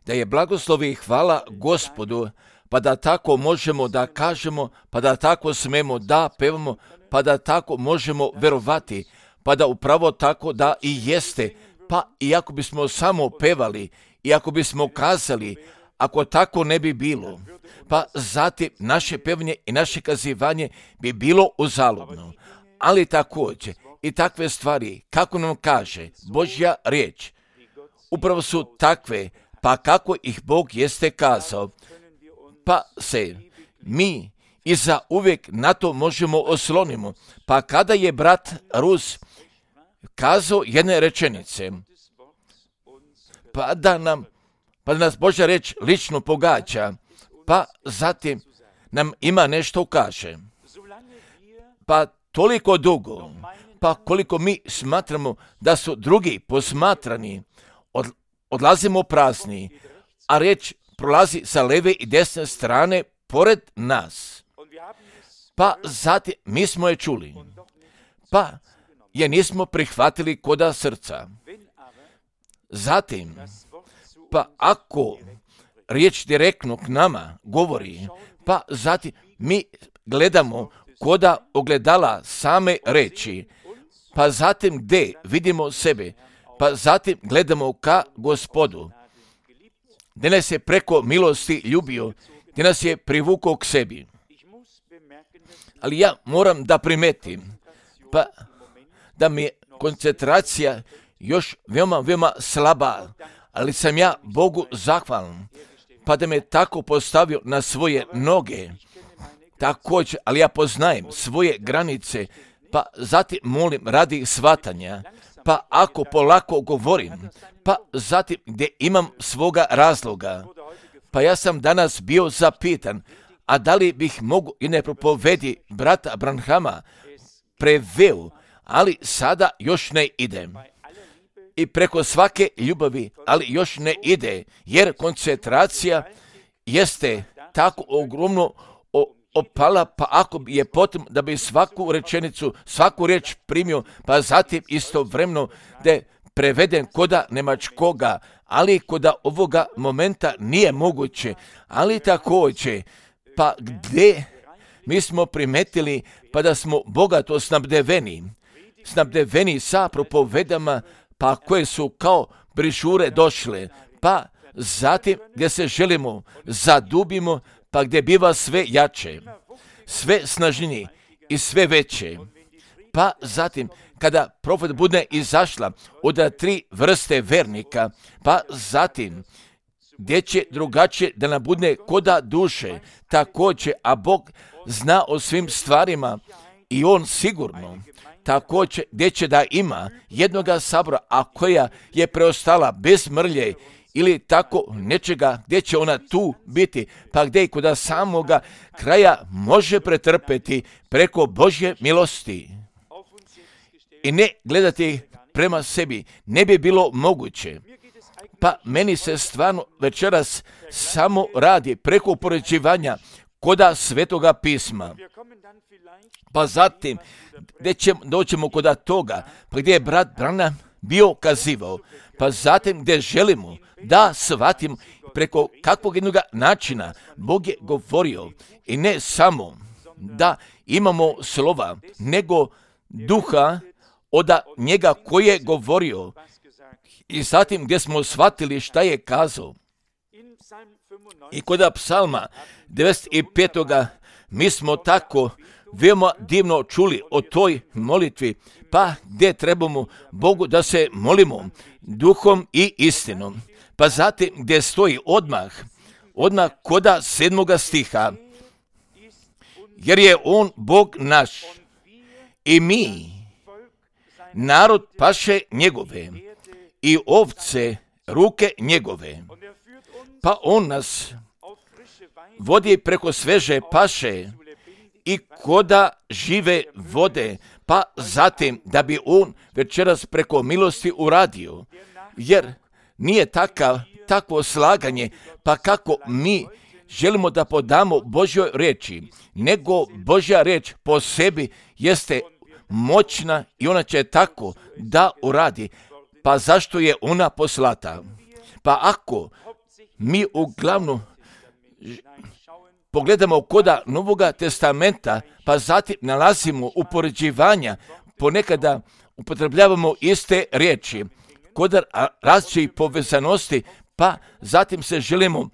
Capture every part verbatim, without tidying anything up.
Da je blagoslov i hvala Gospodu, pa da tako možemo da kažemo, pa da tako smemo da pevamo, pa da tako možemo verovati, pa da upravo tako da i jeste, pa i ako bismo samo pevali, i ako bismo kazali, ako tako ne bi bilo, pa zatim naše pevanje i naše kazivanje bi bilo uzaludno. Ali također i takve stvari, kako nam kaže Božja riječ, upravo su takve, pa kako ih Bog jeste kazao, pa se mi i za uvijek na to možemo oslonimo. Pa kada je brat Rus kazao jedne rečenice, pa da nam, pa da nas Božja riječ lično pogađa, pa zatim nam ima nešto kaže. Pa toliko dugo, pa koliko mi smatramo da su drugi posmatrani, od, odlazimo prazni, a riječ prolazi sa leve i desne strane pored nas. Pa zatim mi smo je čuli, pa je nismo prihvatili koda srca. Zatim, pa ako riječ direktno k nama govori, pa zatim mi gledamo koda ogledala same reči, pa zatim gdje vidimo sebe, pa zatim gledamo ka Gospodu, gdje nas je preko milosti ljubio, gdje nas je privukao k sebi. Ali ja moram da primetim, pa da mi je koncentracija još veoma, veoma slaba, ali sam ja Bogu zahvalan, pa da me tako postavio na svoje noge. Također, ali ja poznajem svoje granice, pa zatim molim radi shvatanja, pa ako polako govorim, pa zatim gdje imam svoga razloga, pa ja sam danas bio zapitan, a da li bih mogu i ne propovedi brata Branhama preveo, ali sada još ne idem. I preko svake ljubavi, ali još ne ide, jer koncentracija jeste tako ogromno opala, pa ako je potrebno da bi svaku rečenicu, svaku riječ primio, pa zatim istovremeno da je preveden koda nemačkoga, ali koda ovoga momenta nije moguće, ali također, pa gdje mi smo primetili, pa da smo bogato snabdeveni, snabdeveni sa propovedama, pa koje su kao brišure došle, pa zatim gdje se želimo zadubimo, pa gdje biva sve jače, sve snažnije i sve veće. Pa zatim, kada profet bude izašla od tri vrste vernika, pa zatim, gdje će drugačije da nam bude koda duše, također, a Bog zna o svim stvarima i On sigurno, također, gdje će da ima jednoga sabora, a koja je preostala bez mrlje, ili tako nečega gdje će ona tu biti, pa gdje i kod samoga kraja može pretrpeti preko Božje milosti. I ne gledati prema sebi, ne bi bilo moguće. Pa meni se stvarno večeras samo radi preko upoređivanja koda Svetoga pisma. Pa zatim, gdje ćemo, doćemo koda toga, pa gdje je brat Branham bio kazivao, pa zatim gdje želimo da shvatimo preko kakvog jednog načina Bog je govorio i ne samo da imamo slova, nego duha od njega koji je govorio i zatim gdje smo shvatili šta je kazao. I kod psalma devedeset pet. mi smo tako veoma divno čuli o toj molitvi, pa gdje trebamo Bogu da se molimo duhom i istinom. Pa zatim gdje stoji odmah, odmah koda sedmoga stiha, jer je On Bog naš i mi, narod paše njegove i ovce ruke njegove. Pa On nas vodi preko sveže paše i koda žive vode, pa zatim da bi On večeras preko milosti uradio, jer nije takav, takvo slaganje, pa kako mi želimo da podamo Božjoj riječi, nego Božja riječ po sebi jeste moćna i ona će tako da uradi. Pa pa zašto je ona poslata? Pa ako mi uglavnom pogledamo koda Novoga testamenta, pa zatim nalazimo upoređivanja, ponekada upotrebljavamo iste riječi, kod različitih povezanosti, pa zatim se želimo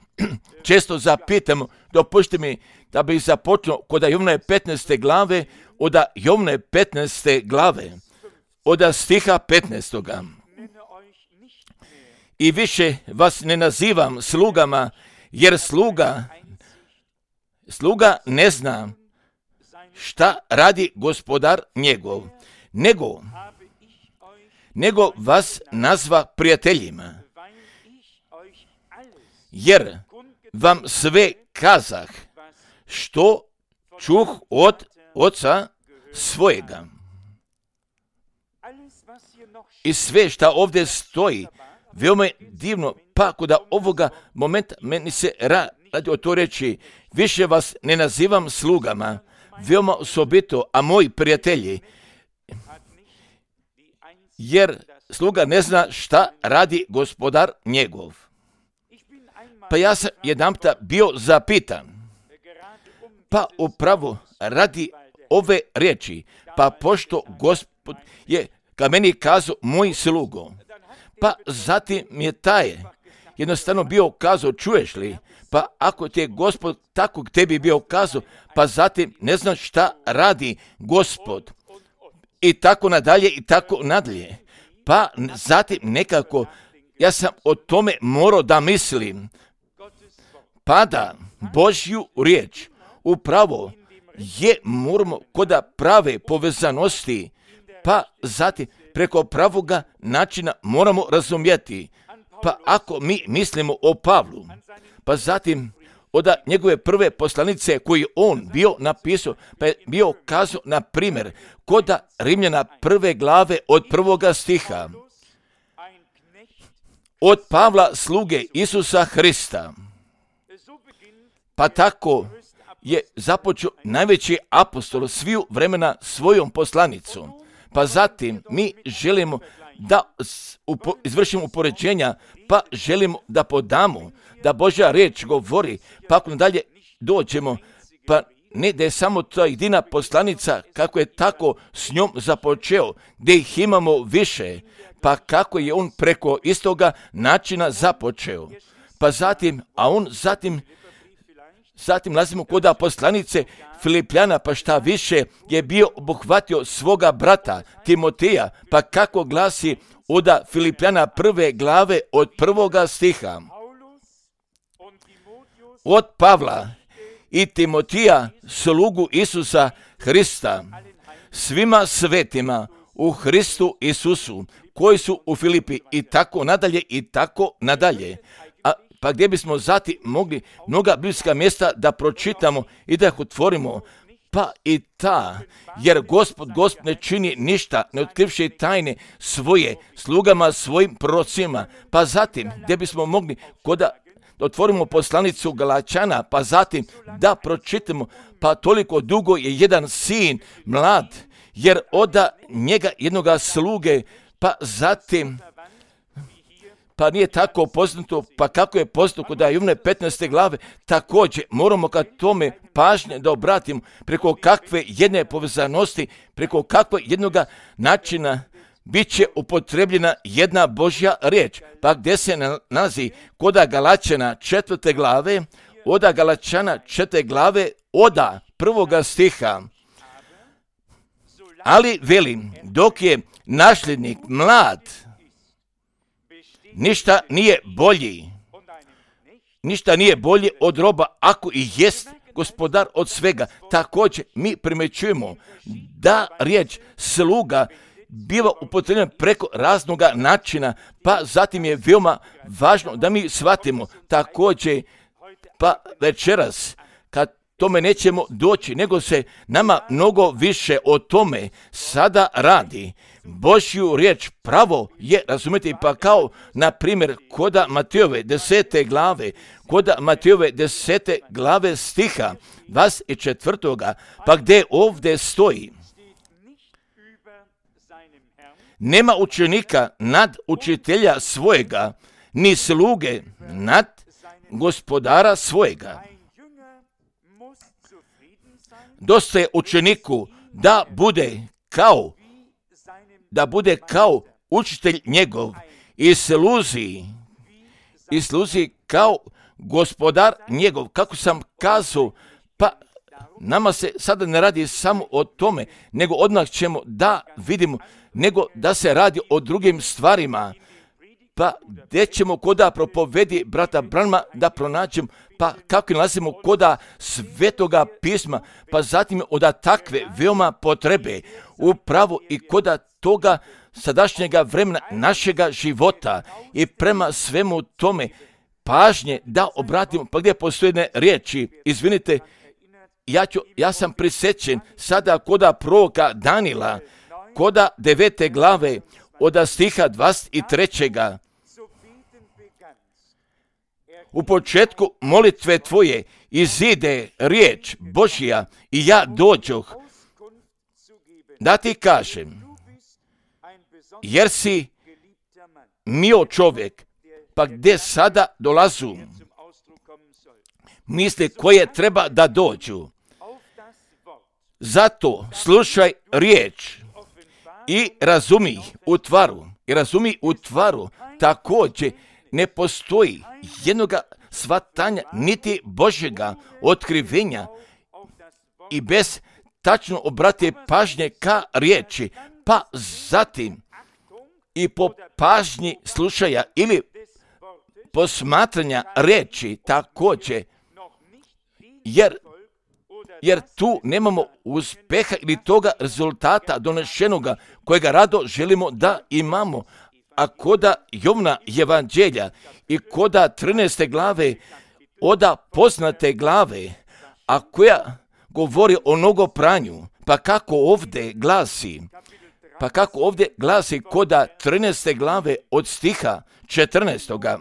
često zapitamo, dopušti mi da bih započnuo kod Jovnove petnaeste glave, od Jovnove petnaeste glave, od stiha petnaestoga. I više vas ne nazivam slugama, jer sluga, sluga ne zna šta radi gospodar njegov, nego, nego vas nazva prijateljima, jer vam sve kazah što čuh od oca svojega. I sve šta ovdje stoji, veoma je divno, pa kod ovoga momenta meni se radi o to reći, više vas ne nazivam slugama, veoma osobito, a moji prijatelji, jer sluga ne zna šta radi gospodar njegov. Pa ja sam jedanputa bio zapitan, pa upravo radi ove riječi, pa pošto Gospod je ka meni kazao moj slugo, pa zatim mi je taj jednostavno bio kazao, čuješ li, pa ako ti je Gospod tako k tebi bio kazao, pa zatim ne znaš šta radi Gospod. I tako nadalje, i tako nadalje. Pa zatim nekako, ja sam o tome morao da mislim, pa da Božju riječ upravo je moramo kod prave povezanosti, pa zatim preko pravoga načina moramo razumjeti. Pa ako mi mislimo o Pavlu, pa zatim od njegove prve poslanice koji on bio napisao, pa je bio kazao, na primjer, kod Rimljana prve glave od prvoga stiha, od Pavla sluge Isusa Hrista. Pa tako je započeo najveći apostol sviju vremena svojom poslanicom. Pa zatim mi želimo da upo, izvršimo upoređenja, pa želimo da podamo, da Božja riječ govori, pa ako nadalje dođemo, pa ne da je samo ta jedina poslanica, kako je tako s njom započeo, gdje ih imamo više, pa kako je on preko istoga načina započeo. Pa zatim, a on zatim, zatim nalazimo kod poslanice Filipljana, pa šta više je bio obuhvatio svoga brata Timoteja, pa kako glasi od Filipljana prve glave od prvoga stiha. Od Pavla i Timotija, slugu Isusa Hrista, svima svetima u Hristu Isusu, koji su u Filipi, i tako nadalje, i tako nadalje. A pa gdje bismo zati mogli mnoga biblijska mjesta da pročitamo i da ih otvorimo, pa i ta, jer Gospod, Gospod ne čini ništa, ne otkrivši tajne svoje slugama, svojim prorocima, pa zatim gdje bismo mogli koda da otvorimo poslanicu Galačana, pa zatim da pročitamo, pa toliko dugo je jedan sin mlad, jer oda njega jednoga sluge, pa zatim, pa nije tako poznato, pa kako je poznato kod Jovnove petnaeste glave, također moramo ka tome pažnje da obratimo preko kakve jedne povezanosti, preko kakve jednoga načina bit će upotrebljena jedna Božja riječ. Pa gdje se nalazi kod Galačana četvrte glave, od Galačana četvrte glave, od prvoga stiha. Ali velim, dok je nasljednik mlad, ništa nije bolji, ništa nije bolje od roba, ako i jest gospodar od svega. Također mi primjećujemo da riječ sluga biva upotrebljena preko raznoga načina, pa zatim je veoma važno da mi shvatimo također, pa večeras, kad tome nećemo doći, nego se nama mnogo više o tome sada radi. Božju riječ pravo je, razumijete, pa kao, na primjer, koda Matejove desete glave, koda Matejove desete glave stiha dvadeset četvrtoga, pa gdje ovdje stoji, nema učenika nad učitelja svojega, ni sluge nad gospodara svojega. Dosta je učeniku da bude kao, da bude kao učitelj njegov i sluzi, i sluzi kao gospodar njegov. Kako sam kazao, pa nama se sada ne radi samo o tome, nego odmah ćemo da vidimo, nego da se radi o drugim stvarima. Pa gdje ćemo koda propovedi brata Branhama da pronađemo, pa kako nalazimo koda svetoga pisma, pa zatim od takve veoma potrebe upravo i koda toga sadašnjega vremena našega života i prema svemu tome pažnje da obratimo, pa gdje postoje jedne riječi, izvinite, ja, ću, ja sam prisjećen sada koda proroka Danila, koda devete glave od stiha dvadeset trećega. U početku molitve tvoje izide riječ Božja i ja dođoh da ti kažem, jer si mio čovjek, pa gdje sada dolazu misli koje treba da dođu. Zato slušaj riječ i razumi u tvaru, i razumi u tvaru, također ne postoji jednoga shvatanja niti Božjega otkrivenja i bez tačno obrate pažnje ka riječi, pa zatim i po pažnji slušaja ili posmatranja riječi također, jer, jer tu nemamo uspeha ili toga rezultata donešenoga kojega rado želimo da imamo. A koda Jovna evanđelja i koda trinaeste glave, oda poznate glave, a koja govori o nogopranju, pa kako ovdje glasi, pa kako ovdje glasi koda trinaeste glave od stiha četrnaestoga.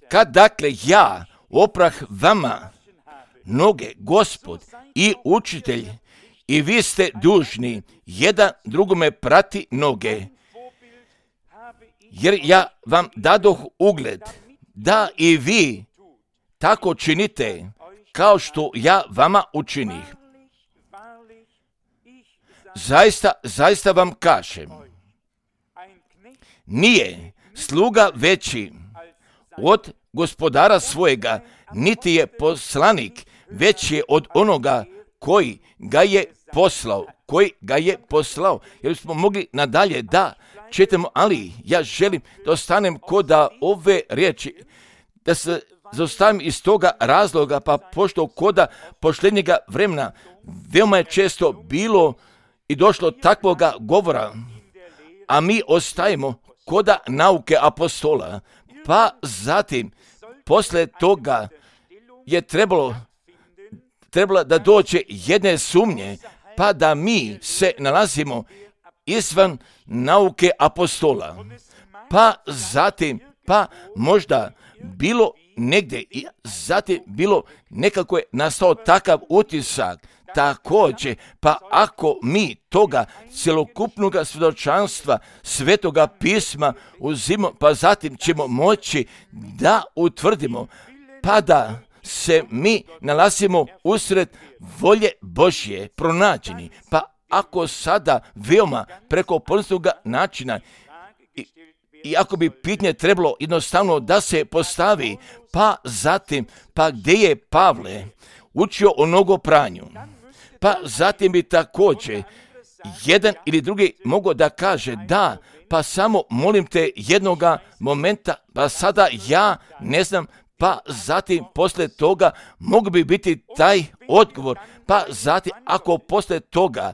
Kad dakle ja oprah vama noge, Gospod i učitelj, i vi ste dužni jedan drugome prati noge, jer ja vam dadoh ugled da i vi tako činite kao što ja vama učinih. Zaista, zaista vam kažem, nije sluga veći od gospodara svojega, niti je poslanik veći od onoga koji ga je poslao, koji ga je poslao. Jer smo mogli nadalje da čitamo, ali ja želim da ostanem koda ove riječi, da se zaustavim iz toga razloga, pa pošto koda posljednjega vremena veoma je često bilo i došlo takvoga govora, a mi ostajemo koda nauke apostola, pa zatim posle toga je trebalo trebala da dođe jedne sumnje, pa da mi se nalazimo izvan nauke apostola. Pa zatim, pa možda bilo negdje, i zatim bilo nekako je nastao takav utisak, također, pa ako mi toga cjelokupnog svjedočanstva svetoga pisma uzimo, pa zatim ćemo moći da utvrdimo, pa da se mi nalazimo usred volje Božje pronađeni. Pa ako sada veoma preko poznatog načina i, i ako bi pitanje trebalo jednostavno da se postavi, pa zatim, pa gdje je Pavle učio o nogopranju, pa zatim bi također jedan ili drugi mogao da kaže da, pa samo molim te jednoga momenta, pa sada ja ne znam, pa zatim posle toga mogu bi biti taj odgovor, pa zatim ako posle toga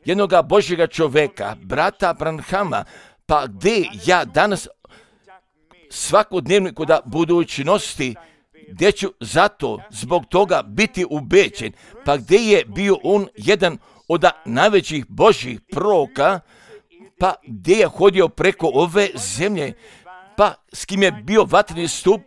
jednoga Božjega čovjeka, brata Branhama, pa gdje ja danas svakodnevno kod budućnosti, gdje ću zato zbog toga biti ubeđen, pa gdje je bio on jedan od najvećih Božjih proroka, pa gdje je hodio preko ove zemlje, pa s kim je bio vatreni stup,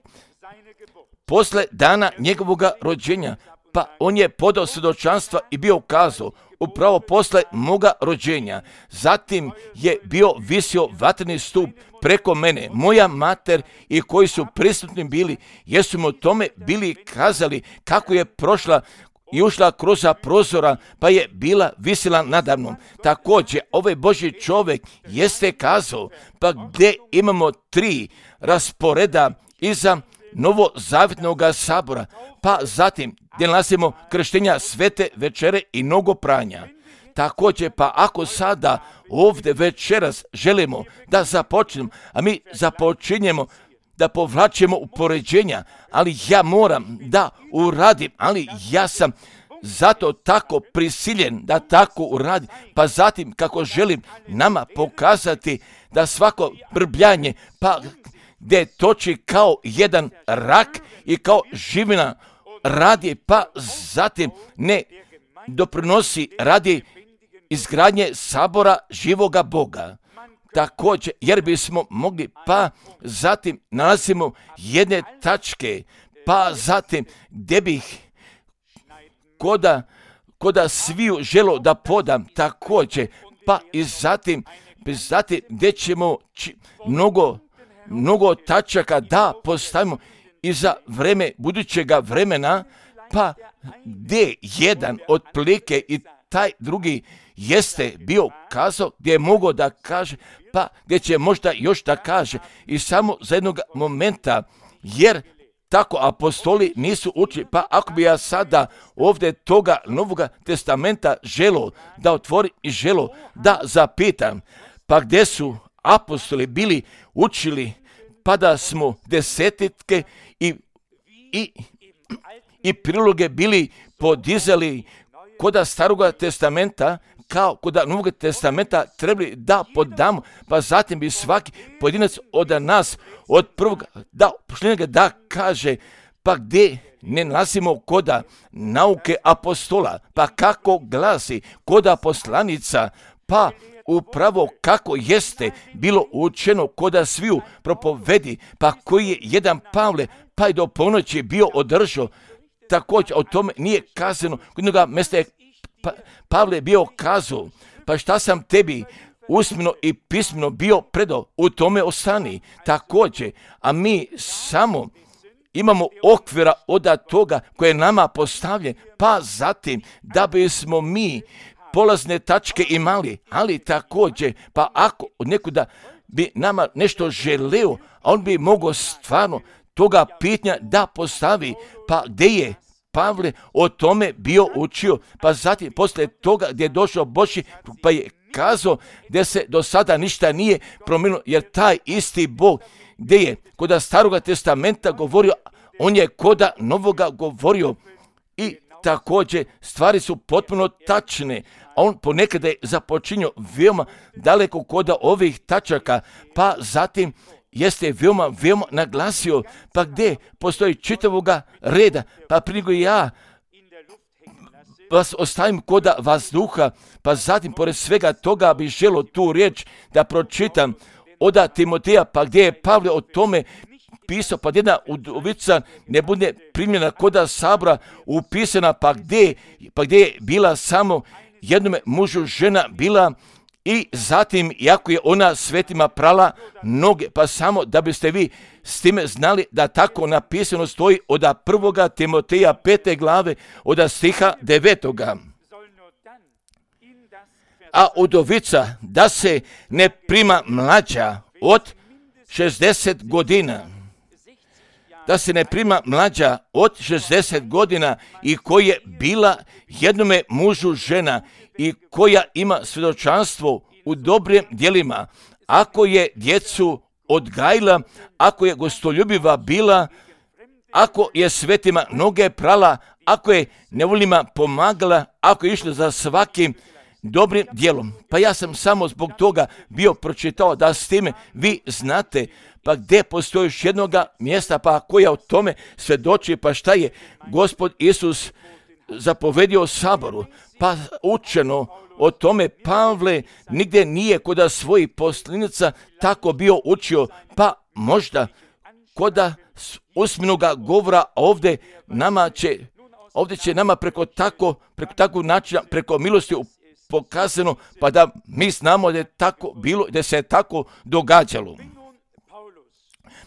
posle dana njegovoga rođenja, pa on je podao svjedočanstva i bio kazao, upravo posle moga rođenja. Zatim je bio visio vatreni stup preko mene, moja mater i koji su prisutni bili, jer su mu o tome bili kazali kako je prošla i ušla kroz prozora, pa je bila visila nadamnom. Također, ovaj Božji čovjek jeste kazao, pa gdje imamo tri rasporeda iza novozavjetnog sabora, pa zatim gdje nalazimo krštenja svete večere i mnogo pranja. Također, pa ako sada ovdje večeras želimo da započnemo, a mi započinjemo da povlačimo upoređenja, ali ja moram da uradim, ali ja sam zato tako prisiljen da tako uradim, pa zatim kako želim nama pokazati da svako brbljanje, pa gdje toči kao jedan rak i kao živina radi, pa zatim ne doprinosi radi izgradnje sabora živoga Boga. Također, jer bismo mogli, pa zatim nalazimo jedne tačke, pa zatim gdje bih koda, koda sviju želo da podam, također, pa i zatim, zatim gdje ćemo či, mnogo, mnogo tačaka da postavimo i za vreme budućega vremena, pa gdje jedan otprilike i taj drugi jeste bio kazao gdje je mogao da kaže, pa gdje će možda još da kaže i samo za jednog momenta, jer tako apostoli nisu učili. Pa ako bi ja sada ovdje toga Novoga testamenta želo da otvori i želo da zapitam, pa gdje su apostoli bili učili, pa da smo desetitke i, i, i priloge bili podizali koda Staroga testamenta, kao koda Novog testamenta trebali da podamo, pa zatim bi svaki pojedinac od nas, od prvog da, pošljenega da kaže, pa gdje ne nalazimo koda nauke apostola, pa kako glasi koda poslanica, pa upravo kako jeste bilo učeno koda sviju propovedi, pa koji je jedan Pavle, pa i do ponoći bio održao. Također o tome nije kazano, kod jednoga mjesta je pa, Pavle bio kazao, pa šta sam tebi usmeno i pismeno bio predao, u tome ostani. Također, a mi samo imamo okvira od toga koje je nama postavljen, pa zatim da bismo mi polazne tačke imali, ali također, pa ako od nekuda bi nama nešto želeo, a on bi mogao stvarno toga pitanja da postavi, pa gdje je Pavle o tome bio učio, pa zatim poslije toga gdje je došao Božji, pa je kazao gdje se do sada ništa nije promijenilo, jer taj isti Bog gdje je koda Staroga testamenta govorio, on je koda Novoga govorio i također stvari su potpuno tačne, a on ponekada je započinio veoma daleko koda ovih tačaka, pa zatim jeste veoma, veoma naglasio, pa gdje postoji čitavoga reda, pa prije nego ja vas ostavim koda vazduha, pa zatim pored svega toga bi želo tu riječ da pročitam od Timoteja, pa gdje je Pavle o tome pisao, pa jedna udovica ne bude primljena koda sabora upisana, pa gdje, pa gdje je bila samo jednome mužu žena bila, i zatim, iako je ona svetima prala noge, pa samo da biste vi s time znali da tako napisano stoji od prvoga Timoteja pete glave, od stiha devetoga. A udovica da se ne prima mlađa od šezdeset godina, da se ne prima mlađa od šezdeset godina i koja je bila jednome mužu žena i koja ima svjedočanstvo u dobrim djelima, ako je djecu odgajila, ako je gostoljubiva bila, ako je svetima noge prala, ako je nevoljima pomagala, ako je išla za svakim dobrim djelom. Pa ja sam samo zbog toga bio pročitao da s time vi znate, pa gdje postoji još jednoga mjesta, pa koja o tome svjedoči, pa šta je Gospod Isus zapovedio saboru, pa učeno o tome Pavle nigdje nije koda svojih poslanica tako bio učio, pa možda koda usmenoga govora ovdje nama će ovdje će nama preko tako, preko takvog načina, preko milosti pokazano, pa da mi znamo da je tako bilo, da se je tako događalo.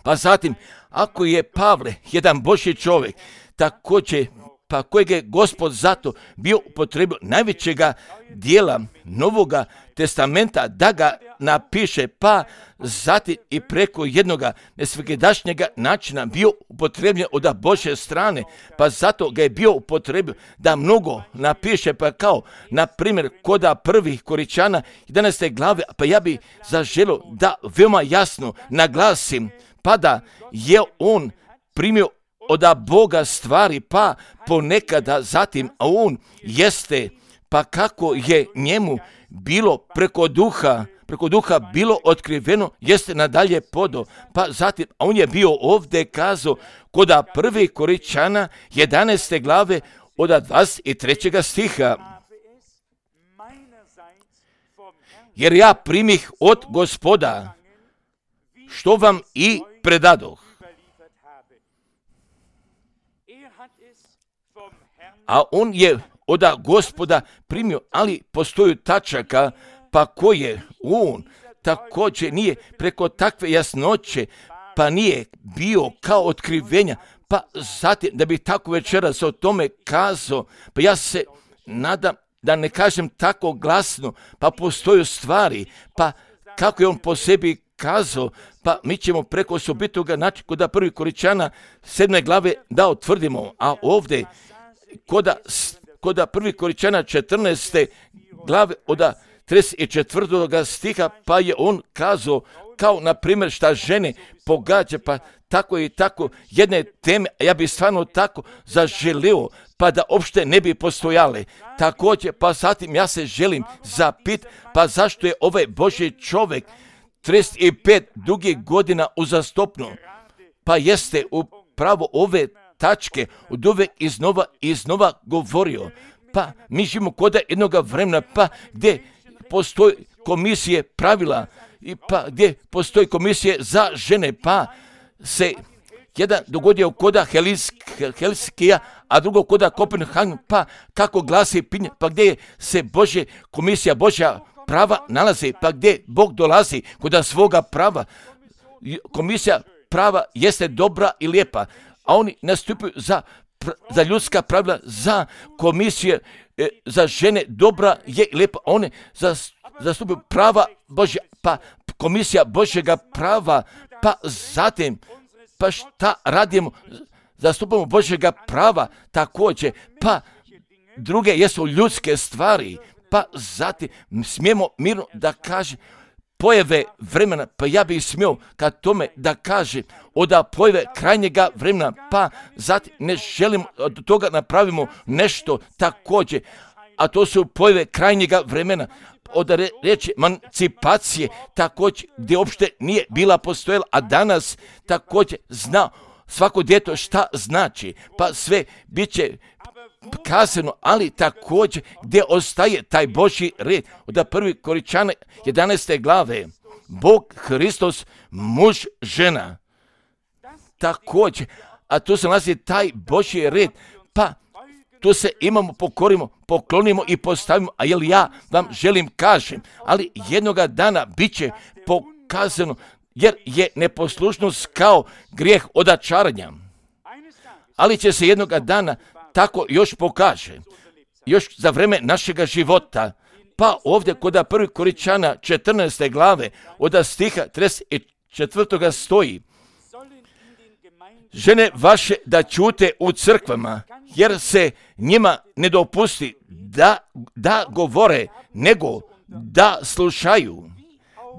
Pa zatim, ako je Pavle jedan Božji čovjek, također, pa kojeg je Gospod zato bio upotrebio najvećega dijela Novoga testamenta da ga napiše, pa zatim i preko jednoga nesvakidašnjega načina bio upotrebljen od Božje strane, pa zato ga je bio upotrebio da mnogo napiše, pa kao, na primjer, koda prvih Koričana jedanaeste glave, pa ja bi zaželio da veoma jasno naglasim, pa da je on primio od Boga stvari, pa ponekada zatim, a on jeste, pa kako je njemu bilo preko duha, preko duha bilo otkriveno, jeste nadalje podo, pa zatim, a on je bio ovdje kazao koda prvi Koričana jedanaeste glave od dvadeset trećeg stiha. Jer ja primih od Gospoda, što vam i predadoh. A on je od Gospoda primio, ali postoji tačaka, pa koje on također nije preko takve jasnoće, pa nije bio kao otkrivenja, pa zatim da bi tako večeras o tome kazao, pa ja se nadam da ne kažem tako glasno, pa postoje stvari, pa kako je on po sebi kazao, pa mi ćemo preko osobitoga načina kod prvi Koričana sedme glave da utvrdimo, a ovdje koda, koda prvi Koričana četrnaeste glave od trideset četvrtog stiha, pa je on kazao kao na primjer šta žene pogađa, pa tako i tako jedne teme, a ja bi stvarno tako zaželio, pa da uopšte ne bi postojale. Također, pa zatim ja se želim zapit, pa zašto je ovaj Božji čovjek trideset pet dugih godina uzastopno, pa jeste upravo ove tačke od uvek iznova i iznova govorio, pa mi živimo kod jednog vremena, pa gdje postoji komisije pravila, i pa gdje postoji komisije za žene, pa se jedan dogodio koda Helskija, a drugo koda Kopenhagen, pa kako glasi pinje, pa gdje se Božja komisija, Božja prava nalazi, pa gdje Bog dolazi kod svoga prava. Komisija prava jeste dobra i lijepa, a oni nastupaju za, za ljudska pravila, za komisije, za žene dobra je i lijepa, one zastupaju prava Božja, pa komisija Božjega prava, pa zatim, pa šta radimo, zastupamo Božjega prava također, pa druge jesu ljudske stvari, pa zatim smijemo mirno da kaže pojave vremena, pa ja bih smio kad tome da kaže od pojave krajnjega vremena, pa zatim ne želimo od toga napravimo nešto također, a to su pojave krajnjega vremena, od reći emancipacije također gdje uopšte nije bila postojala, a danas također zna svako djeto šta znači, pa sve bit će kazano, ali također gdje ostaje taj Božji red. Od prvi Koričana jedanaeste glave, Bog, Hristos, muž, žena. Također, a tu se nalazi taj Božji red, pa tu se imamo, pokorimo, poklonimo i postavimo, a jel ja vam želim kažem, ali jednoga dana bit će pokazano, jer je neposlušnost kao grijeh odačaranja. Ali će se jednoga dana tako još pokaže, još za vreme našega života, pa ovdje kod prvi Koričana četrnaeste glave od stiha trideset četvrtog stoji: žene vaše da ćute u crkvama, jer se njima ne dopusti da, da govore, nego da slušaju,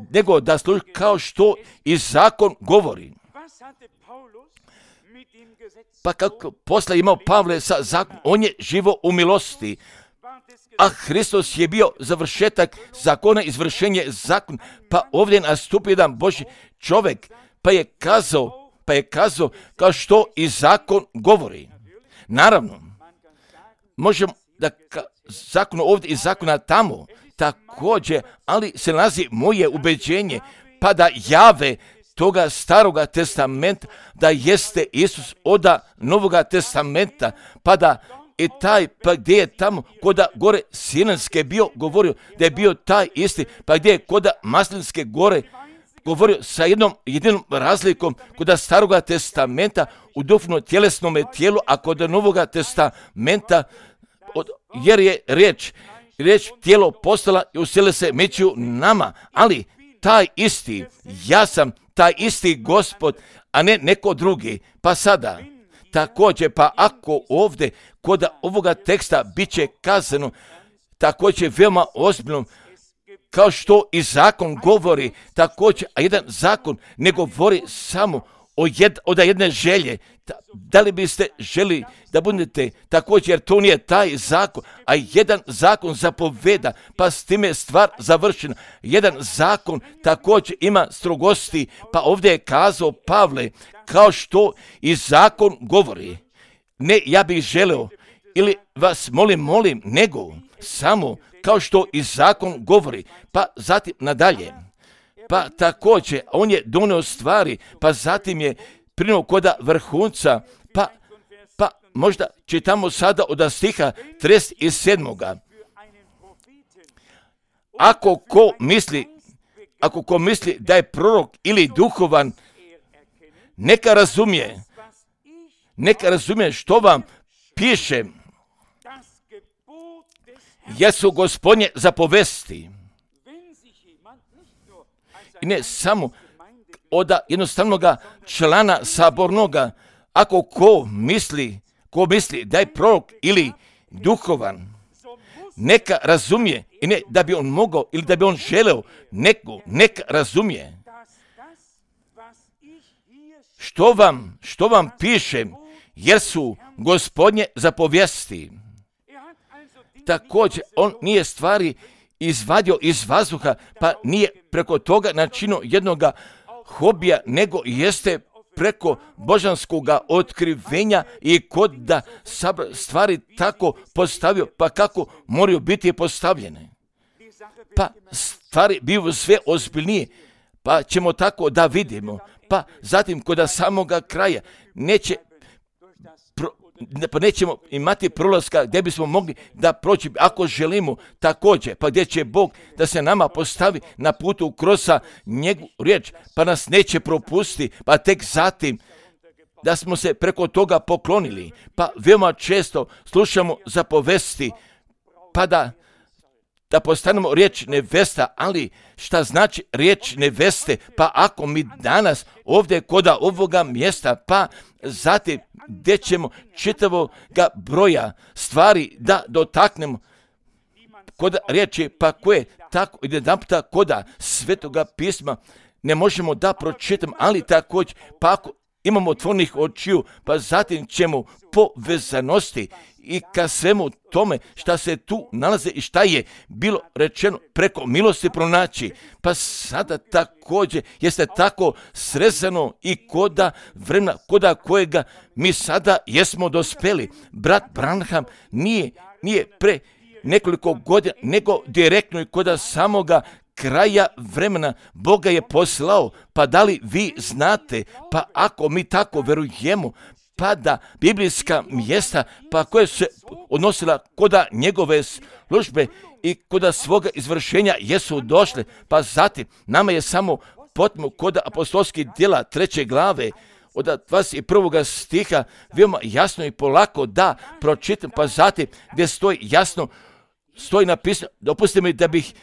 nego da slušaju kao što i zakon govori. Pa kako posle imao Pavle sa zakonom, on je živo u milosti, a Hristos je bio završetak zakona, izvršenje zakona, pa ovdje nastupi jedan Božji čovjek, pa je kazao, pa je kazao kao što i zakon govori. Naravno, možemo da ka, zakon ovdje i zakona tamo također, ali se nalazi moje ubeđenje, pa da jave toga staroga testamenta, da jeste Isus oda novoga testamenta, pa da i taj, pa gdje je tamo koda gore Sinajske bio govorio da je bio taj isti, pa gdje je koda Maslinske gore govorio sa jednom jedinom razlikom kod Staroga testamenta u duhovno tjelesnom tijelu, a kod Novoga testamenta, od, jer je riječ, riječ tijelo postala i uselila se među nama, ali taj isti, ja sam taj isti Gospod, a ne neko drugi. Pa sada, također, pa ako ovdje kod ovoga teksta bit će kazano, također veoma ozbiljno, kao što i zakon govori, također, a jedan zakon ne govori samo o jed, od jedne želje. Da li biste želi da budete također, jer to nije taj zakon, a jedan zakon zapoveda, pa s time je stvar završena. Jedan zakon također ima strogosti, pa ovdje je kazao Pavle, kao što i zakon govori. Ne, ja bih želeo, ili vas molim, molim, nego samo kao što i zakon govori, pa zatim nadalje. Pa također, on je donio stvari, pa zatim je prinuo koda vrhunca, pa, pa možda čitamo sada od stiha trideset sedam. Ako ko misli, ako ko misli da je prorok ili duhovan, neka razumije, neka razumije što vam piše, jesu Gospodnje zapovesti. I ne samo od jednostavnoga člana sabornoga, ako ko misli, ko misli da je prorok ili duhovan, neka razumije, i ne da bi on mogao ili da bi on želeo, neko, neka razumije. Što vam, što vam piše, jer su Gospodnje zapovesti. Također, on nije stvari izvadio iz vazduha, pa nije preko toga načinio jednoga hobija, nego jeste preko božanskoga otkrivenja i kod da stvari tako postavio, pa kako moraju biti postavljene. Pa stvari biju sve ozbiljnije, pa ćemo tako da vidimo, pa zatim kod samoga kraja neće pro, pa nećemo imati prolaska gdje bismo mogli da proći, ako želimo također, pa gdje će Bog da se nama postavi na putu kroz njegovu riječ, pa nas neće propustiti, pa tek zatim da smo se preko toga poklonili, pa veoma često slušamo zapovesti, pa da da postanemo riječ nevesta, ali šta znači riječ neveste? Pa ako mi danas ovdje koda ovoga mjesta, pa zatim gdje ćemo čitavoga broja stvari da dotaknemo koda riječi, pa koje tako i jedan puta koda Svetoga pisma ne možemo da pročitamo, ali također, pa ako imamo otvorenih očiju, pa zatim ćemo povezanosti i ka svemu tome šta se tu nalaze i šta je bilo rečeno preko milosti pronaći. Pa sada također jeste tako srezano i koda vremena, koda kojega mi sada jesmo dospeli. Brat Branham nije, nije pre nekoliko godina, nego direktno i koda samoga kraja vremena Boga je poslao. Pa da li vi znate, pa ako mi tako verujemo, pa da biblijska mjesta, pa koje su se odnosila koda njegove službe i koda svoga izvršenja jesu došle, pa zatim nama je samo potrebno koda apostolskih djela treće glave od dvadeset prvog stiha veoma jasno i polako da pročitam, pa zatim gdje stoji jasno, stoji napisano, dopustite mi da bih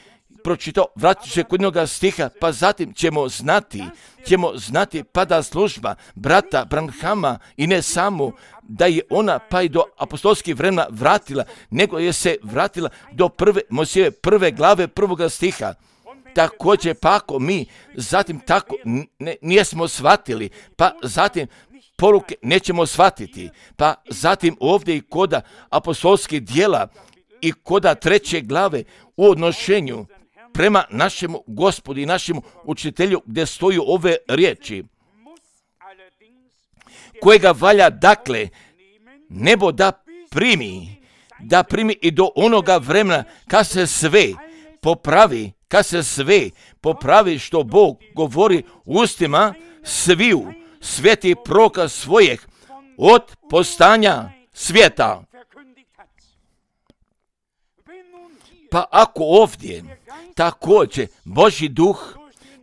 pročitao, vratit će kod jednoga stiha, pa zatim ćemo znati, ćemo znati pa da služba brata Branhama i ne samo da je ona pa i do apostolskih vremena vratila, nego je se vratila do prve Mojsijeve prve glave prvoga stiha. Također pa ako mi zatim tako ne, nijesmo shvatili, pa zatim poruke nećemo shvatiti, pa zatim ovdje i koda apostolskih djela i koda treće glave u odnošenju prema našemu Gospodu i našemu učitelju gdje stoju ove riječi, kojega valja dakle nebo da primi, da primi i do onoga vremena kad se sve popravi, kad se sve popravi što Bog govori ustima sviju svetih proroka svojih od postanja svijeta. Pa ako ovdje također Božji duh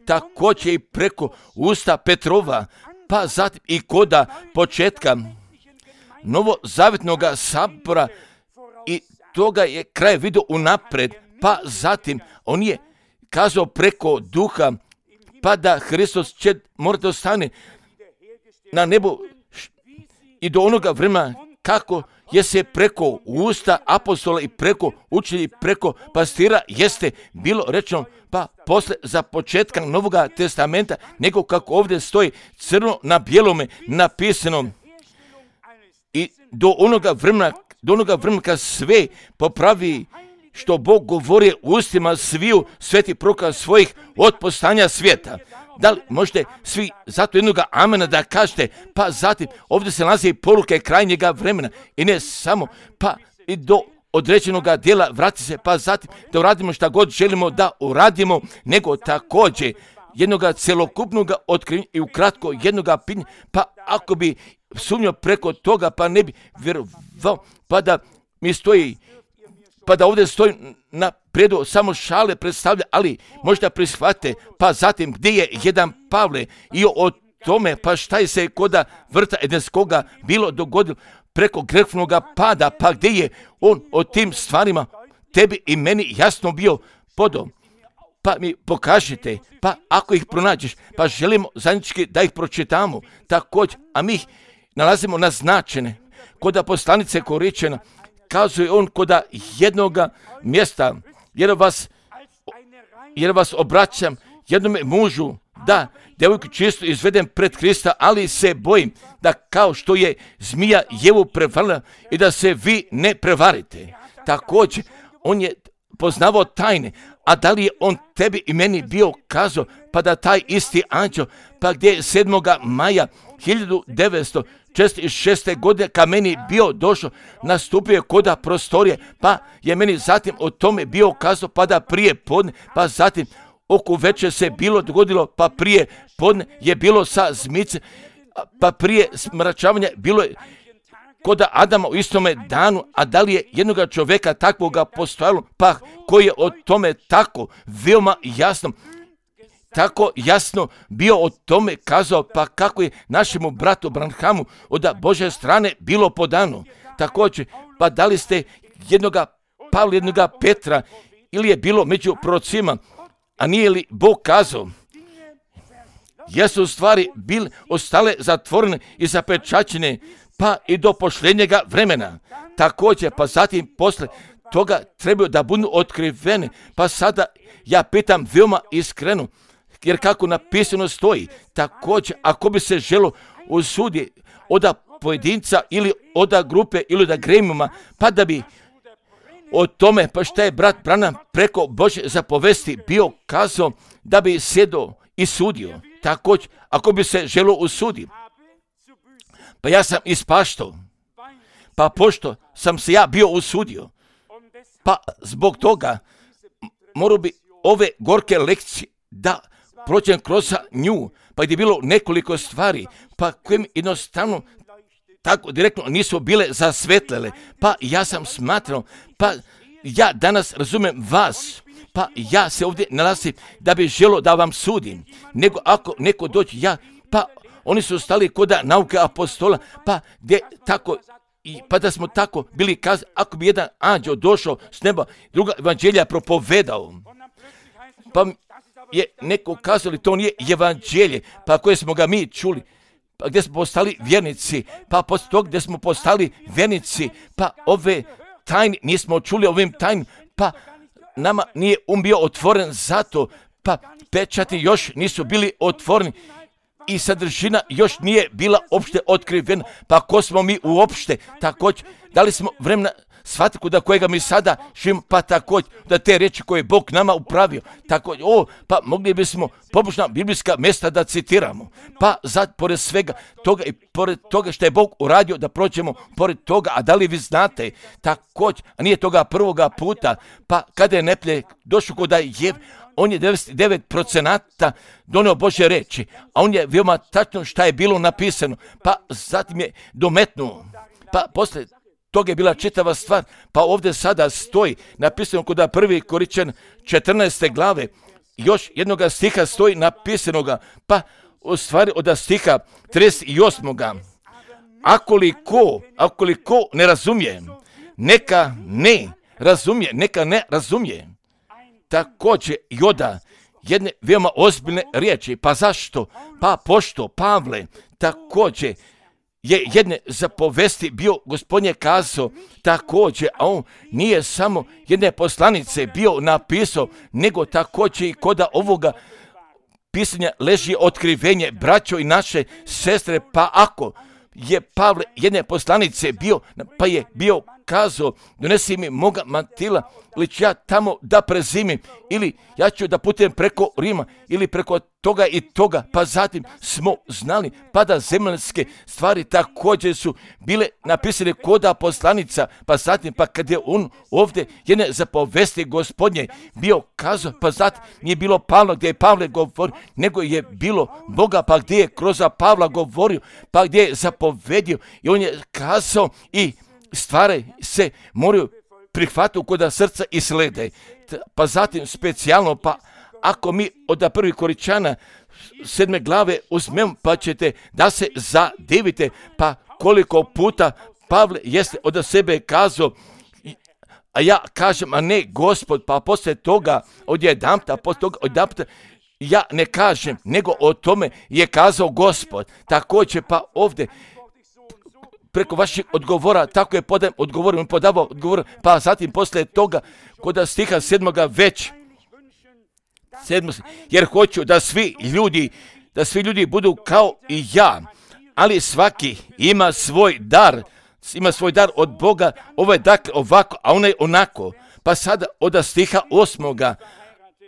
također i preko usta Petrova, pa zatim i koda početka novozavjetnog sabora i toga je kraj vidio unapred, pa zatim on je kazao preko duha, pa da Hristos će morati ostane na nebu i do onoga vremena kako je se preko usta apostola i preko učitelja i preko pastira jeste bilo rečeno, pa posle za početka Novog testamenta, nego kako ovdje stoji crno na bijelome napisano i do onoga vremena, do onoga vremena kad sve popravi što Bog govori ustima sviju sveti proroka svojih od postanja svijeta. Da li možete svi zato jednoga amena da kažete, pa zatim ovdje se nalazi poruke krajnjega vremena i ne samo, pa i do određenog dijela vrati se, pa zatim da uradimo šta god želimo da uradimo, nego također jednoga celokupnog otkrivenja i ukratko jednoga pitanja, pa ako bi sumnjao preko toga, pa ne bi vjerovao, pa da mi stoji, pa da ovdje stoji na predu samo šale predstavlja, ali možda prihvate, pa zatim gdje je jedan Pavle i o tome, pa šta je se koda vrta Edenskoga bilo dogodilo preko grehovnog pada, pa gdje je on o tim stvarima tebi i meni jasno bio podao. Pa mi pokažite, pa ako ih pronađeš, pa želimo zajednički da ih pročitamo također, a mi ih nalazimo naznačene koda poslanice Koričena, kazuje on koda jednoga mjesta, jer vas, jer vas obraćam jednome mužu, da djevojku čisto izvedem pred Krista, ali se bojim da kao što je zmija Jevu prevarila i da se vi ne prevarite. Također, on je poznavao tajne, a da li je on tebi i meni bio kazao, pa da taj isti anđeo, pa gdje je sedmog maja hiljadu devetsto četrdeset šeste. godine ka meni bio došao, nastupio je koda prostorije, pa je meni zatim o tome bio kazao, pa da prije podne, pa zatim oko večer se bilo dogodilo, pa prije podne je bilo sa zmice, pa prije smračavanja bilo je koda Adama u istome danu, a da li je jednoga čovjeka takvoga postojalo, pa koji je o tome tako veoma jasno, tako jasno bio o tome kazao, pa kako je našemu bratu Branhamu od Božje strane bilo podano. Također, pa da li ste jednoga Pavla, jednoga Petra, ili je bilo među prorocima, a nije li Bog kazao, jesu stvari bile ostale zatvorene i zapečaćene, pa i do pošljenjega vremena. Također, pa zatim posle toga trebaju da budu otkrivene, pa sada ja pitam veoma iskreno, jer kako napisano stoji, također ako bi se želo usudi od pojedinca ili od grupe ili od gremijuma, pa da bi o tome, pa šta je brat Branham preko Božje zapovesti bio kazao da bi sjedo i sudio. Također, ako bi se želo usudi, pa ja sam ispaštao, pa pošto sam se ja bio usudio, pa zbog toga morao bi ove gorke lekcije da prođem kroz nju, pa gdje je bilo nekoliko stvari, pa kojim jednostavno tako direktno nisu bile zasvetlele, pa ja sam smatrao, pa ja danas razumem vas, pa ja se ovdje nalazim da bi želo da vam sudim, nego ako neko dođe, ja, pa oni su stali koda nauke apostola, pa gdje tako, i, pa da smo tako bili kazali, ako bi jedan anđeo došao s neba, druga evanđelja propovedao, pa je neko kazali, to nije evanđelje, pa koje smo ga mi čuli, pa gdje smo postali vjernici, pa poslije toga gdje smo postali vjernici, pa ove tajne nismo čuli ovim tajnim, pa nama nije um bio otvoren zato, pa pečati još nisu bili otvoreni i sadržina još nije bila opšte otkrivena, pa ko smo mi uopšte, također, da li smo vremena shvatiti da kojega mi sada živimo, pa također da te riječi koje je Bog nama upravio, također, o, pa mogli bismo pobožna biblijska mjesta da citiramo, pa sad, pored svega toga i pored toga što je Bog uradio da prođemo pored toga, a da li vi znate, također, a nije toga prvoga puta, pa kada je Neplje došao kod Jev, on je devedeset devet procenata donio Božje reči, a on je veoma tačno šta je bilo napisano, pa zatim je dometnuo, pa posle toga je bila čitava stvar, pa ovdje sada stoji, napisano kod prvi Korinćan četrnaeste glave, još jednoga stiha stoji napisanoga, pa u stvari od stiha trideset osmoga Akoliko, akoliko ne razumije, neka ne razumije, neka ne razumije. Također i oda jedne veoma ozbiljne riječi. Pa zašto? Pa pošto Pavle također je jedne zapovesti bio, Gospodin je kazao također, a on nije samo jedne poslanice bio napisao, nego također i kod ovoga pisanja leži otkrivenje, braćo i naše sestre, pa ako je Pavle jedne poslanice bio, pa je bio kazao, donesi mi moga mantila, ili ću ja tamo da prezimim, ili ja ću da putujem preko Rima, ili preko toga i toga, pa zatim smo znali, pa da zemaljske stvari također su bile napisane koda poslanica, pa zatim, pa kad je on ovdje jedne zapovesti Gospodnje bio kazao, pa zatim nije bilo Pavla gdje je Pavle govorio, nego je bilo Boga, pa gdje je kroz Pavla govorio, pa gdje je zapovedio i on je kazao i stvari se moraju prihvatiti kod srca i slede. Pa zatim specijalno, pa ako mi od prvi Korinćana sedme glave uzmemo, pa ćete da se zadivite, pa koliko puta Pavle jeste od sebe kazao, a ja kažem, a ne Gospod, pa poslije toga odjedanput, a poslije toga odjedanput ja ne kažem, nego o tome je kazao Gospod. Također pa ovdje preko vaših odgovora, tako je podajem odgovor, podavao odgovor, pa zatim poslije toga, kod stiha sedmoga već, sedmo, jer hoću da svi ljudi, da svi ljudi budu kao i ja, ali svaki ima svoj dar, ima svoj dar od Boga, ovo je dakle ovako, a onaj onako, pa sada od stiha osmoga,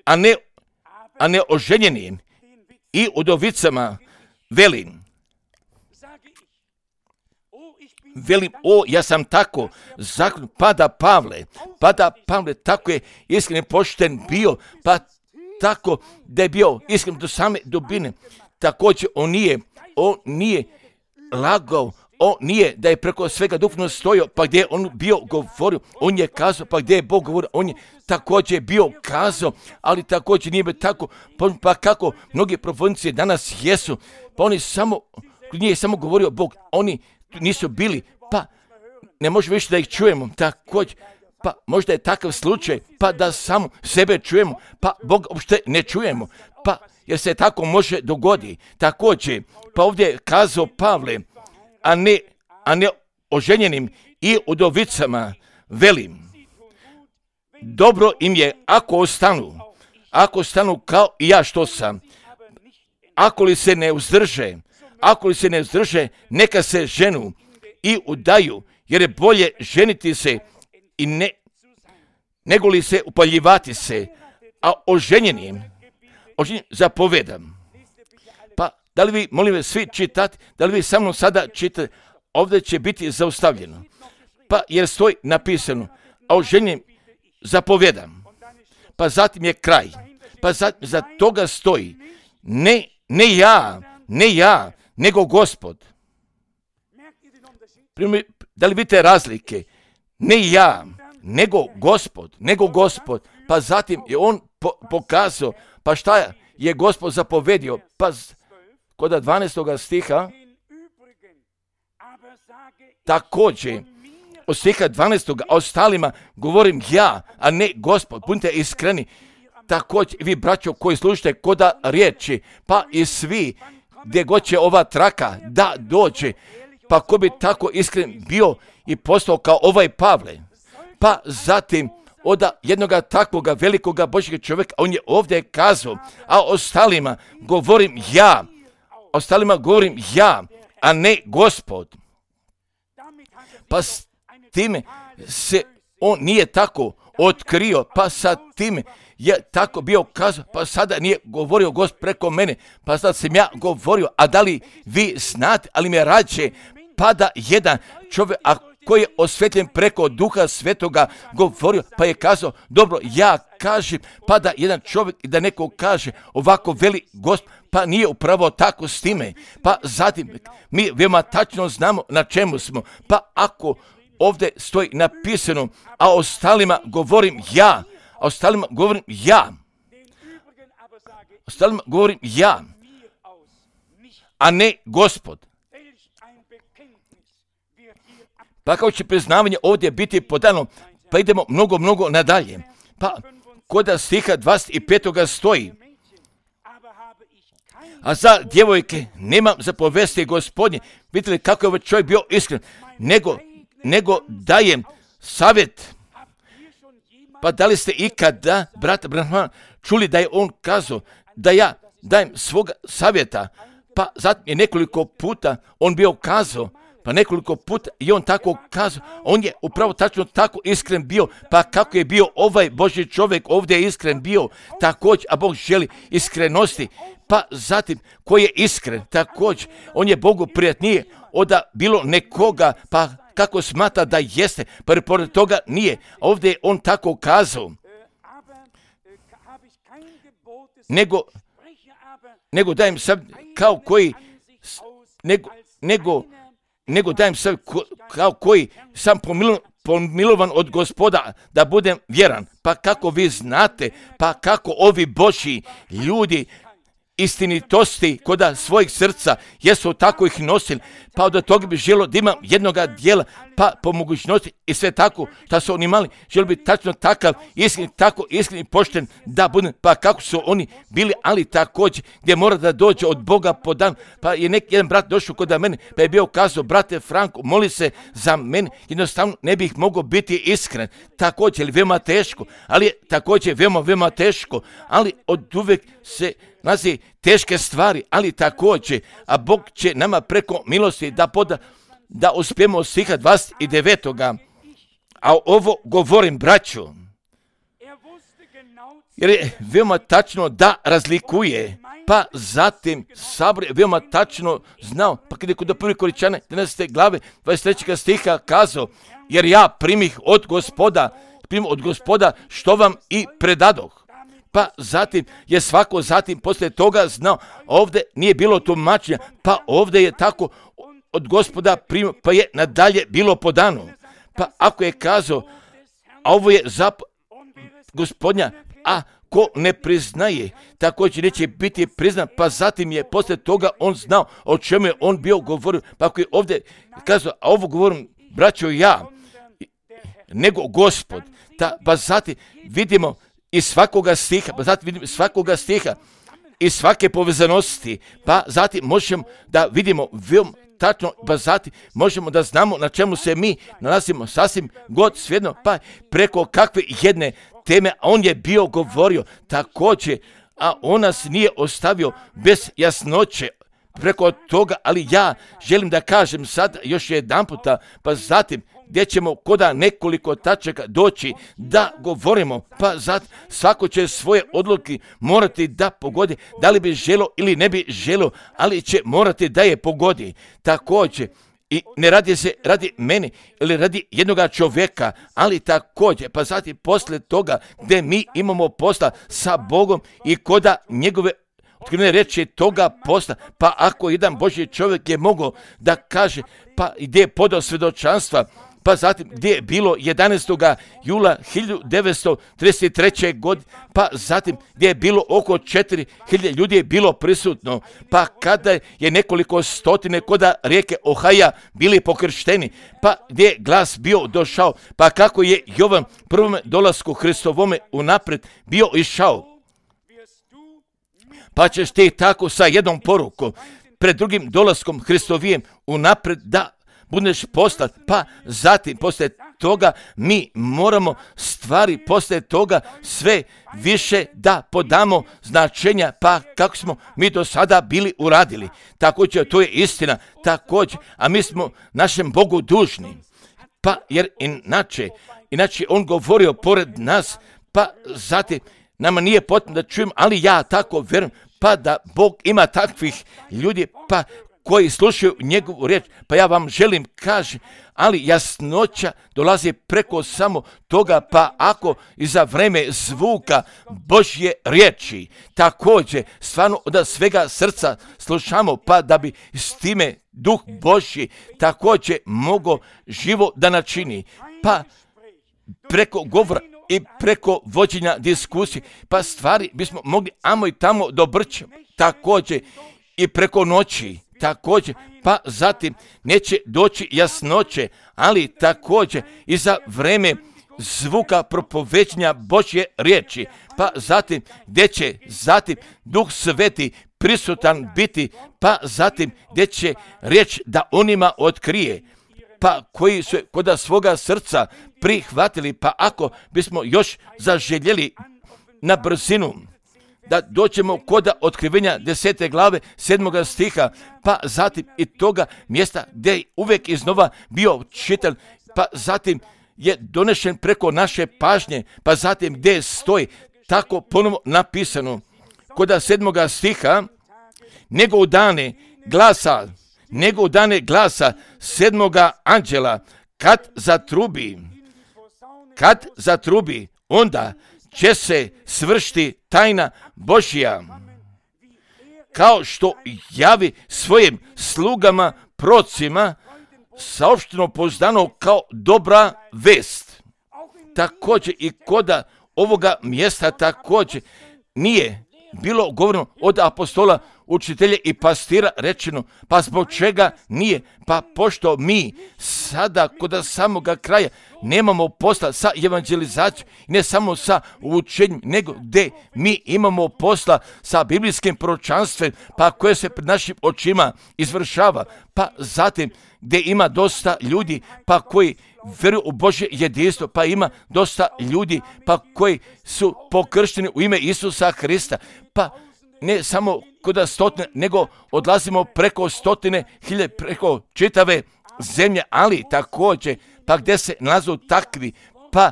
a ne, a ne oženjenim i udovicama velim, Velim, o, ja sam tako, zakon, pada Pavle, pada Pavle, tako je iskren pošten bio, pa tako da je bio iskren do same dubine. Također, on nije, on nije lagao, on nije da je preko svega duhovno stojao, pa gdje je on bio govorio, on je kazao, pa gdje je Bog govorio, on je također bio kazao, ali također nije bio tako, pa, pa kako mnogi profonici danas jesu, pa oni samo, nije samo govorio Bog, oni nisu bili, pa ne možemo više da ih čujemo, također, pa možda je takav slučaj, pa da samo sebe čujemo, pa Bog uopšte ne čujemo, pa jer se tako može dogoditi. Također, pa ovdje je kazao Pavle, a ne, a ne oženjenim i udovicama velim, dobro im je ako ostanu, ako ostanu kao i ja što sam, ako li se ne uzdrže, Ako li se ne uzdrže, neka se ženu i udaju, jer je bolje ženiti se i ne, nego li se upaljivati se, a oženjenim, oženjenim zapovedam. Pa, da li vi, molim vas, svi čitati, da li vi sa mnom sada čitate, ovdje će biti zaustavljeno. Pa, jer stoji napisano, a oženjenim zapovedam. Pa zatim je kraj. Pa zatim, za toga stoji, ne, ne ja, ne ja, nego Gospod. Da li vidite razlike? Ne ja, nego Gospod, nego Gospod. Pa zatim je on po, pokazao, pa šta je Gospod zapovedio? Pa kod dvanaestog stiha, također, od stiha dvanaestog, a ostalima govorim ja, a ne Gospod. Budite iskreni. Također, vi braćo koji slušate koda riječi, pa i svi, gdje god će ova traka da dođe, pa ko bi tako iskren bio i postao kao ovaj Pavle, pa zatim od jednoga takvoga velikoga Božjeg čovjeka, on je ovdje kazao, a ostalima govorim ja, ostalima govorim ja, a ne Gospod. Pa s time se on nije tako otkrio, pa sa time je tako bio kazao, pa sada nije govorio Gospod preko mene, pa sada sam ja govorio, a da li vi znate, ali mi rađe pada jedan čovjek, a koji je osvetljen preko Duha Svetoga govorio, pa je kazao, dobro, ja kažem, pa da jedan čovjek i da neko kaže, ovako veli Gospod, pa nije upravo tako s time, pa zatim mi veoma tačno znamo na čemu smo, pa ako ovdje stoji napisano, a ostalima govorim ja, a ostalima govorim ja, ostalima govorim ja, a ne Gospod. Pa kao će priznavanje ovdje biti podano, pa idemo mnogo, mnogo nadalje. Pa kod stiha dvadeset pet stoji, a za djevojke nemam za povesti Gospodnje. Vidite li kako je ovaj čovjek bio iskren, nego, nego dajem savjet. Pa da li ste ikada, brata Branham, čuli da je on kazao da ja dajem svoga savjeta? Pa zatim je nekoliko puta on bio kazao, pa nekoliko puta i on tako kazao, on je upravo tačno tako iskren bio, pa kako je bio ovaj Božji čovjek ovdje je iskren bio, također, a Bog želi iskrenosti, pa zatim koji je iskren, također, on je Bogu prijatnije od bilo nekoga, pa kako smatra da jeste, pa pored toga nije, ovdje je on tako kazao, nego, nego dajem sad kao koji, nego, nego, nego dajem sad kao koji sam pomilovan, pomilovan od Gospoda da budem vjeran. Pa kako vi znate, pa kako ovi Božji ljudi istinitosti koda svojih srca jesu tako ih nosili, pa od toga bi želo da imam jednoga dijela, pa po mogućnosti i sve tako što su oni imali, želo bi tačno takav iskren, tako iskren i pošten da budem, pa kako su oni bili, ali također gdje mora da dođe od Boga po dan, pa je neki jedan brat došao kod mene, pa je bio kazao, brate Franko, moli se za mene, jednostavno ne bih mogao biti iskren, također je veoma teško, ali je također veoma, veoma teško, ali od uvijek se nalazi teške stvari, ali također, a Bog će nama preko milosti da poda, da uspijemo od stiha dvadeset devet. A ovo govorim, braću, jer je veoma tačno da razlikuje, pa zatim sabor je veoma tačno znao, pa kada je kod prvi Koričane, jedanaeste glave, dvadeset trećeg stiha kazao, jer ja primih od Gospoda, primih od Gospoda što vam i predadoh. Pa zatim je svako zatim poslije toga znao, ovdje nije bilo tumačenja, pa ovdje je tako od Gospoda primio, pa je nadalje bilo podano. Pa ako je kazao, a ovo je za Gospodnja, a ko ne priznaje, također neće biti priznan, pa zatim je poslije toga on znao o čemu je on bio govorio, pa ako je ovdje kazao, a ovo govorim, braćo, ja, nego Gospod, ta, pa zatim vidimo iz svakoga stiha, pa zatim vidimo svakoga stiha, iz svake povezanosti, pa zatim možemo da vidimo veoma tačno, pa zatim možemo da znamo na čemu se mi nalazimo sasvim god svejedno, pa preko kakve jedne teme, a on je bio govorio također, a on nas nije ostavio bez jasnoće preko toga, ali ja želim da kažem sad još jedan puta, pa zatim gdje ćemo koda nekoliko tačaka doći da govorimo, pa zato svako će svoje odluke morati da pogodi, da li bi želo ili ne bi želo, ali će morati da je pogodi. Također, i ne radi se radi mene ili radi jednoga čovjeka, ali također, pa zatim poslije toga gdje mi imamo posla sa Bogom i koda njegove otkrivene reči toga posla, pa ako jedan Božji čovjek je mogao da kaže, pa gdje je podao svjedočanstva, pa zatim gdje je bilo jedanaestog jula hiljadu devetsto trideset treće. godine, pa zatim gdje je bilo oko četiri hiljade ljudi je bilo prisutno, pa kada je nekoliko stotine koda rijeke Ohaja bili pokršteni, pa gdje je glas bio došao, pa kako je Jovan prvom dolasku Hristovome unaprijed bio išao, pa ćeš ti tako sa jednom porukom pred drugim dolaskom Hristovijem unaprijed da budeš poslat, pa zatim poslije toga mi moramo stvari poslije toga sve više da podamo značenja, pa kako smo mi do sada bili uradili. Također, to je istina, također, a mi smo našem Bogu dužni, pa jer inače, inače on govorio pored nas, pa zatim nama nije potrebno da čujem, ali ja tako vjerujem, pa da Bog ima takvih ljudi, pa koji slušaju njegovu riječ, pa ja vam želim kaži, ali jasnoća dolazi preko samo toga, pa ako iza vreme zvuka Božje riječi, također stvarno od svega srca slušamo, pa da bi s time Duh Božji također mogo živo da načini, pa preko govora i preko vođenja diskusije, pa stvari bismo mogli amo i tamo dobrći, također i preko noći, također, pa zatim neće doći jasnoće, ali također i za vreme zvuka propoveđenja Božje riječi, pa zatim gdje će zatim Duh Sveti prisutan biti, pa zatim gdje će riječ da onima otkrije, pa koji su kod svoga srca prihvatili, pa ako bismo još zaželjeli na brzinu da dođemo kod otkrivenja desete glave sedmoga stiha, pa zatim i toga mjesta gdje je uvijek iznova bio čitan, pa zatim je donešen preko naše pažnje, pa zatim gdje stoji tako ponovo napisano kod sedmoga stiha, nego u dane glasa, nego u dane glasa sedmoga anđela, kad zatrubi, kad zatrubi, onda će se svršiti tajna Božja, kao što javi svojim slugama procima, saopšteno pouzdano kao dobra vest. Također i koda ovoga mjesta također nije bilo govoreno od apostola, učitelja i pastira rečeno, pa zbog čega nije? Pa pošto mi sada kod samoga kraja nemamo posla sa evangelizacijom, ne samo sa učenjem, nego gdje mi imamo posla sa biblijskim proročanstvom, pa koje se pred našim očima izvršava, pa zatim gdje ima dosta ljudi, pa koji vjeruju u Božje jedinstvo, pa ima dosta ljudi, pa koji su pokršteni u ime Isusa Hrista, pa ne samo kod stotine, nego odlazimo preko stotine hilje, preko čitave zemlje, ali također, pa gdje se nalazu takvi, pa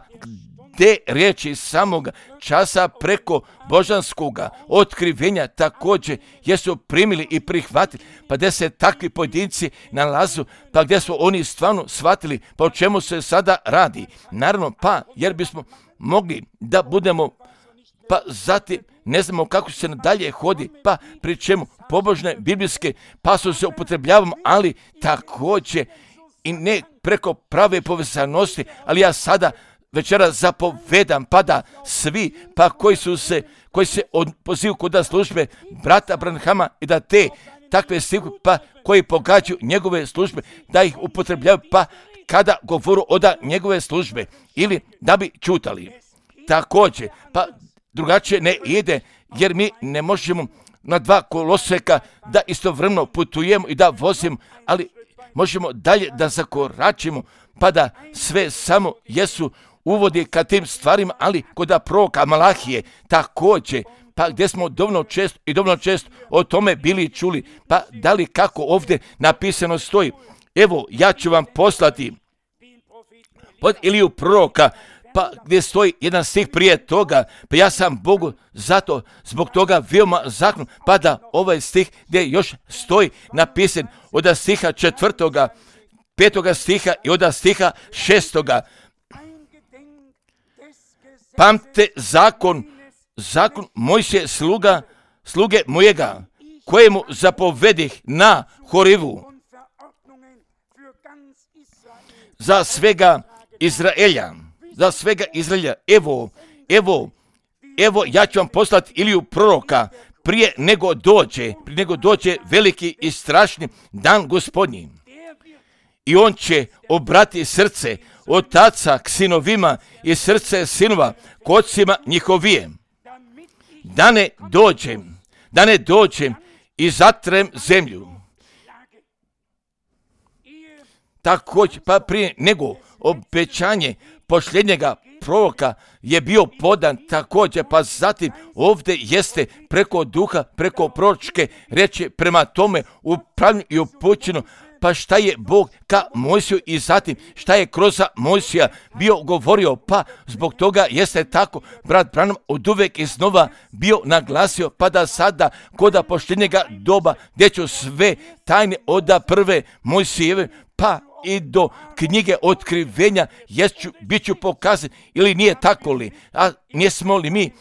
gdje riječi samoga časa preko božanskoga otkrivenja također jesu primili i prihvatili, pa gdje se takvi pojedinci nalazu, pa gdje su oni stvarno shvatili pa o čemu se sada radi. Naravno, pa jer bismo mogli da budemo, pa zatim ne znamo kako se nadalje hodi, pa pri čemu pobožne biblijske pasuse upotrebljavamo, ali također i ne preko prave povezanosti, ali ja sada večera zapovedam, pa da svi, pa koji su se, koji se pozivu kod službe brata Branhama i da te takve stihu, pa koji pogađaju njegove službe, da ih upotrebljavaju, pa kada govoru od njegove službe, ili da bi čutali. Također, pa drugačije ne ide, jer mi ne možemo na dva koloseka da istovremeno putujemo i da vozimo, ali možemo dalje da zakoračimo, pa da sve samo jesu uvodi ka tim stvarima, ali kod proroka Malahije također, pa gdje smo dovoljno često i dovoljno često o tome bili čuli, pa da li kako ovdje napisano stoji, evo ja ću vam poslati pod Iliju proroka, pa gdje stoji jedan stih prije toga, pa ja sam Bogu zato zbog toga veoma zakon, pa da ovaj stih gdje još stoji napisan od stiha četvrtoga, petoga stiha i od stiha šestoga. Pamte zakon, zakon Mojsije sluga, sluge mojega, kojemu zapovedih na Horivu za svega Izraelja, za svega Izraelja, evo, evo, evo ja ću vam poslati Iliju proroka prije nego dođe, prije nego dođe veliki i strašni dan Gospodnji. I on će obrati srce otaca k sinovima i srce sinova k ocima njihovije. Da ne dođem, da ne dođem i zatrem zemlju. Također, pa prije nego obećanje posljednjega proroka je bio podan također, pa zatim ovdje jeste preko duha, preko proročke reči prema tome upravljanju i upućeno, pa šta je Bog ka Mojsiju i zatim šta je kroz Mojsija bio govorio, pa zbog toga jeste tako, brat Branham od uvek iznova bio naglasio, pa da sada koda poštenjega doba, gdje ću sve tajne oda prve Mojsijeve, pa i do knjige otkrivenja, jeću, bit ću pokazan, ili nije tako li, a nismo li mi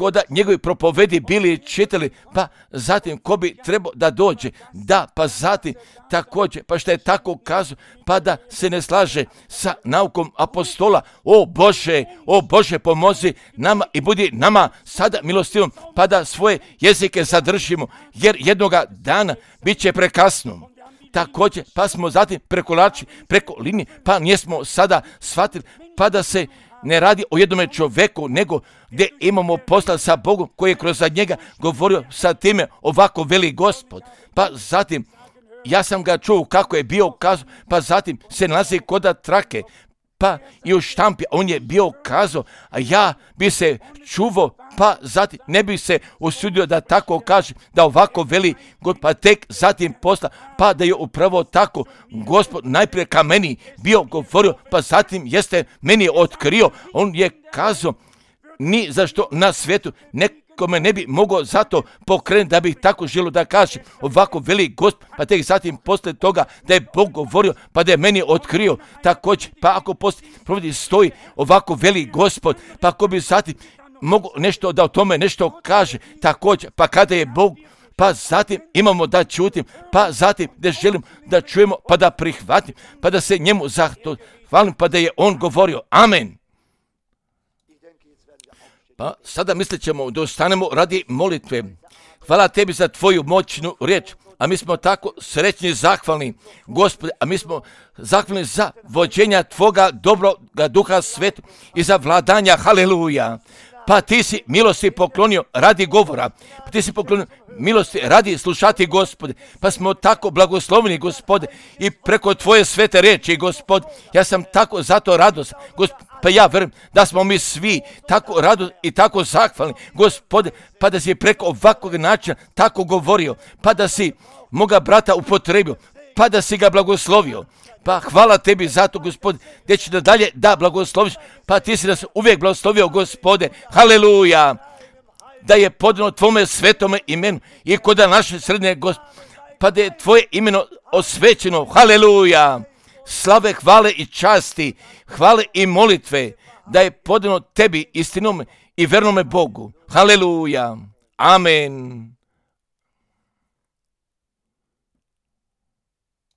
koda njegovi propovedi bili čitali, pa zatim ko bi trebao da dođe, da, pa zatim također, pa što je tako kazao, pa da se ne slaže sa naukom apostola, o Bože, o Bože pomozi nama i budi nama sada milostivom, pa da svoje jezike zadržimo, jer jednoga dana bit će prekasno. Također, pa smo zatim prekolači preko linije, pa nismo sada shvatili, pa da se ne radi o jednome čoveku, nego gdje imamo posla sa Bogom koji je kroz njega govorio sa time ovako veli Gospod. Pa zatim, ja sam ga čuo kako je bio kazao, pa zatim se nalazi koda trake, pa i u štampi on je bio kazao, a ja bi se čuvao, pa zatim ne bi se usudio da tako kaže, da ovako veli, pa tek zatim posla, pa da je upravo tako Gospod najprije ka meni bio govorio, pa zatim jeste meni otkrio, on je kazao, ni zašto na svijetu nekome ne bi mogao zato pokrenuti da bih tako želio da kaže, ovako veli Gospod, pa tek zatim posle toga da je Bog govorio, pa da je meni otkrio, također, pa ako poslije provodi stoji, ovako veli Gospod, pa ako bi zatim mogu nešto da o tome nešto kaže, također, pa kada je Bog, pa zatim imamo da čutim, pa zatim da želim da čujemo, pa da prihvatim, pa da se njemu zahvalim, pa da je on govorio, amen. Pa sada mislit ćemo da ostanemo radi molitve. Hvala tebi za tvoju moćnu riječ, a mi smo tako srećni i zahvalni, Gospode, a mi smo zahvalni za vođenja tvoga dobroga duha sveta i za vladanja, haleluja. Pa ti si milosti poklonio radi govora, pa ti si poklonio milosti radi slušati, Gospode, pa smo tako blagosloveni, Gospode, i preko tvoje svete riječi, Gospode, ja sam tako zato radost, Gospode, pa ja verujem da smo mi svi tako radost i tako zahvalni, Gospode, pa da si preko ovakvog načina tako govorio, pa da si moga brata upotrebio, pa da si ga blagoslovio. Pa hvala tebi zato, Gospode, gdje ću da dalje da blagosloviš, pa ti si nas uvijek blagoslovio, Gospode, haleluja, da je podano tvome svetome imenu i kod naše srednje, Gospode, pa da je tvoje imeno osvećeno, haleluja, slave, hvale i časti, hvale i molitve, da je podano tebi istinom i vernome Bogu, haleluja, amen.